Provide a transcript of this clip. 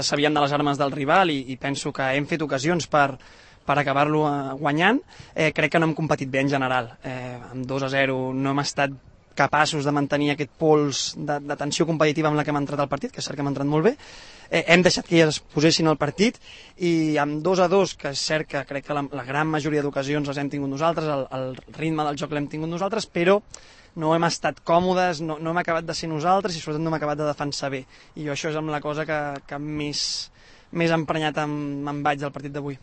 sabíem de les armes del rival i penso que hem fet ocasions per acabar-lo guanyant. Crec que no hem competit bé en general. Amb 2-0 no hem estat capaços de mantenir aquest pols de tensió competitiva amb la que hem entrat al partit, que és cert que hem entrat molt bé. Hem deixat que es posessin al partit i amb 2-2, que és cert que crec que la gran majoria d'ocasions les hem tingut nosaltres, el ritme del joc l'hem tingut nosaltres, però no hem estat còmodes, no hem acabat de ser nosaltres i sobretot no hem acabat de defensar bé. I jo això és amb la cosa que més emprenyat em vaig del partit d'avui.